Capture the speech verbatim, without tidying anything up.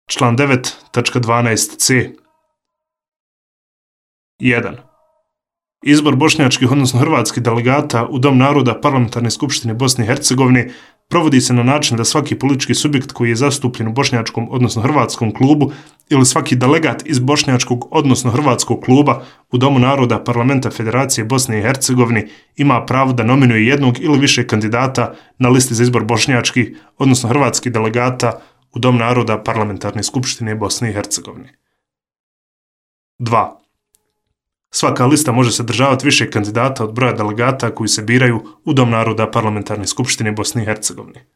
Član devet tačka dvanaest c. jedan. Izbor bošnjačkih, odnosno hrvatskih delegata u Dom naroda Parlamentarne skupštine Bosne i Hercegovine provodi se na način da svaki politički subjekt koji je zastupljen u bošnjačkom, odnosno hrvatskom klubu ili svaki delegat iz bošnjačkog, odnosno hrvatskog kluba u Domu naroda Parlamenta Federacije Bosne i Hercegovine ima pravo da nominuje jednog ili više kandidata na listi za izbor bošnjačkih, odnosno hrvatskih delegata u Dom naroda Parlamentarne skupštine Bosne i Hercegovine. dva. Svaka lista može sadržavati više kandidata od broja delegata koji se biraju u Dom naroda Parlamentarne skupštine Bosne i Hercegovine.